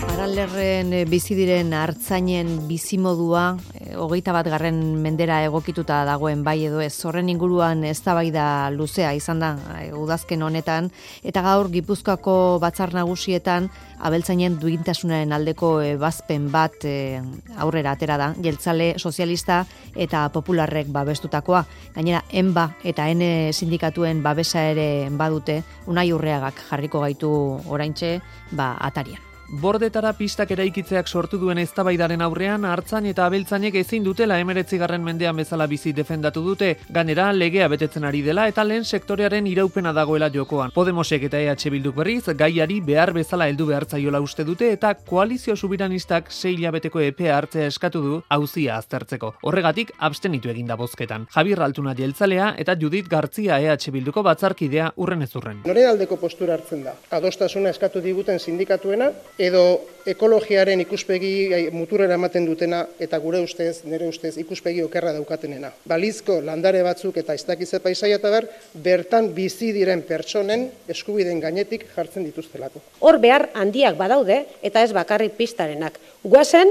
Aralerren bizi diren artzainen bizimodua 21. mendera egokituta dagoen bai edo ez. Horren inguruan eztabaida luzea izan da udazken honetan eta gaur Gipuzkoako batzar nagusietan abeltzainen duintasunaren aldeko ebazpen bat aurrera atera da. Jeltzale, sozialista eta popularrek babestutakoa. Gainera, ENBA eta ENE sindikatuen babesa ere badute. Unai Urreagak jarriko gaitu oraintxe atarian. Bordetara pistak eraikitzeak sortu duen eztabaidaren aurrean artzain eta abeltzainek ezin dutela 19. mendean bezala bizi defendatu dute. Gainera, legea betetzen ari dela eta lehen sektorearen iraupena dagoela jokoan. Podemosek eta EH Bilduk berriz gaiari behar bezala heldu behartzaiola uste dute eta koalizio subiranistak 6 hilabeteko epea hartzea eskatu du auzia aztertzeko. Horregatik abstenitu eginda bozketan. Javier Altuna jeltzalea eta Judith Gartzia EH Bilduko batzarkidea urren ez urren. Noren aldeko postura hartzen da? Adostasuna eskatu diguten sindikatuena edo ekologiaren ikuspegi muturera ematen dutena eta nire ustez ikuspegi okerra daukatenena. Balizko landare batzuk eta ez dakize paisaia eta bertan bizi diren pertsonen eskubideen gainetik jartzen dituztelako. Hor behar handiak badaude eta ez bakarrik pistarenak. Guazen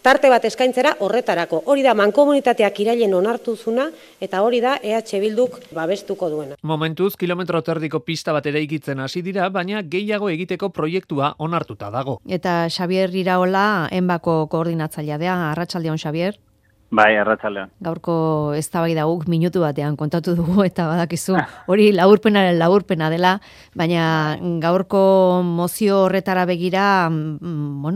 tarte bat eskaintzera horretarako. Hori da mankomunitateak irailen onartu zuna eta hori da EH Bilduk babestuko duena. Momentuz, kilometro terdiko pista bat eraikitzen hasi dira, baina gehiago egiteko proiektua onartuta dago. Eta Xabier Iraola, ENBako koordinatzailea da. Arratsaldeon, Xabier. Bai, arratsaldeon. Gaurko eztabaida guk minutu batean kontatu dugu eta badakizu hori laburpena dela, baina gaurko mozio horretara begira,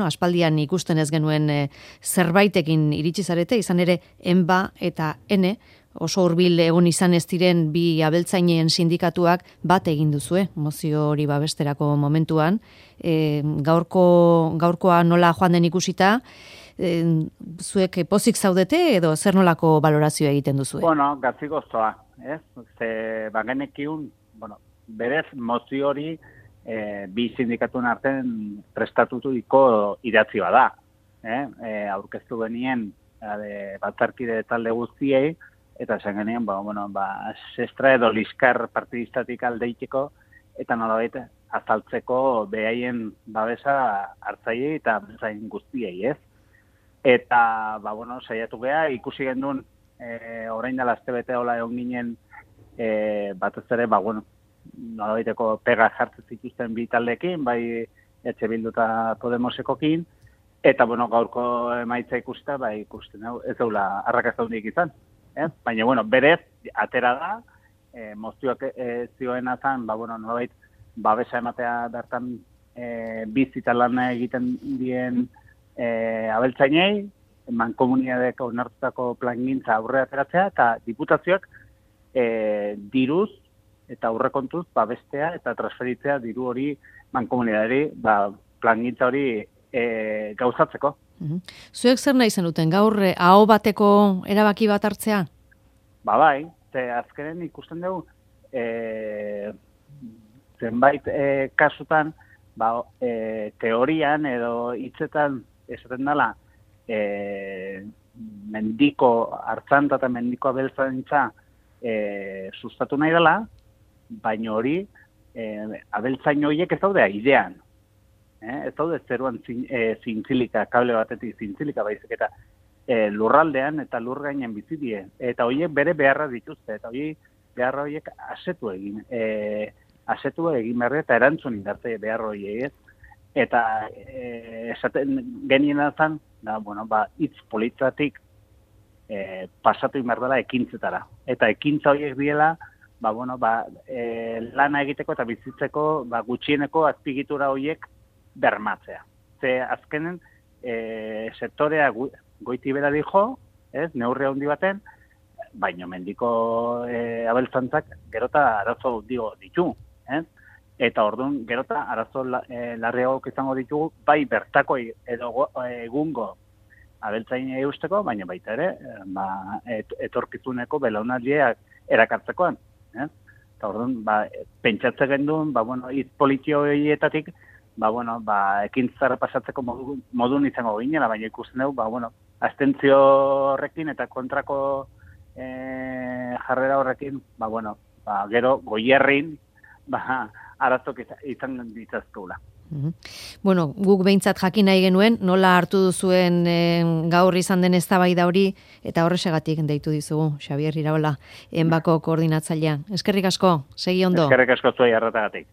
aspaldian ikusten ez genuen zerbaitekin iritsi zarete, izan ere ENBA eta ENE, oso hurbil egon izan ez diren bi abeltzainen sindikatuak bat egin duzue, mozio hori babesterako momentuan. Gaurkoa nola joan den ikusita, zuek pozik zaudete edo zer nolako balorazioa egiten duzue? Gatzigoztoa, ez? Bagenekiun, berez mozio hori bi sindikatuen artean prestatutuko idatzi bada. Aurkeztu benien batzarkide talde guztiei, eta esan genien, sestra edo liskar partidistatik aldeiteko, eta nolabait azaltzeko behaien babesa hartzaiei eta bezain guztiei, ez? Eta, saiatu geha, ikusi gendun, orain dela astebete hola egon ginen, batez ere, nolabaiteko pega jartzen zituzten bi taldeekin, bai EH Bildu eta Podemosekokin, eta, gaurko emaitza ikusita, ikusten ez daula arrakasta hundik izan. Baina, berez, atera da, mozioak zioena zen, nolabait, babesa ematea bertan bizita lana egiten dien abeltzainei, mankomuniadeko onartutako plangintza aurre ateratzea, eta diputazioak diruz eta aurrekontuz babestea eta transferitzea diru hori mankomuniadari plangintza hori gauzatzeko. Zuek zer nahi zenuten, gaur aho bateko erabaki bat hartzea? Bai, azkenen ikusten dugu zenbait kasutan teorian edo hitzetan esaten dela mendiko hartzanta eta mendiko abeltzaintza sustatu nahi dela, baina hori abeltzain horiek ez daude aidean. Ez daude zeruan zintzilika, kable batetik zintzilika baizik eta lurraldean eta lur gainen bizi die. Eta horiek bere beharra dituzte, eta beharra horiek asetu egin behar eta erantzun indarte behar horiek ez. Eta esaten genien zen, hitz politzatik pasatu inberdela ekintzetara. Eta ekintza horiek diela, lana egiteko eta bizitzeko gutxieneko azpigitura horiek bermatzea. Ze azkenen sektorea goiti bera dijo, neurri handi baten, baina mendiko abeltzantzak gerota arazo ditu. Eta orduan gerota arazo larriagok izango ditugu, bai bertako edo egungo abeltzain eusteko, baina baita ere, etorkizuneko belaunaldiak erakartzekoan. Eta orduan, pentsatze genduen, hitz politio horietatik, ekintzara pasatzeko modun izango ginela, baina ikusten dugu, abstentzio horrekin eta kontrako jarrera horrekin, gero goierrin, arazok izan ditzazkeula. Bueno, guk behintzat jakin nahi genuen, nola hartu duzuen gaur izan den eztabaida hori, eta horrexegatik deitu dizugu, Xabier Iraola, Enbako koordinatzailea. Eskerrik asko, segi ondo. Eskerrik asko zuei arretagatik.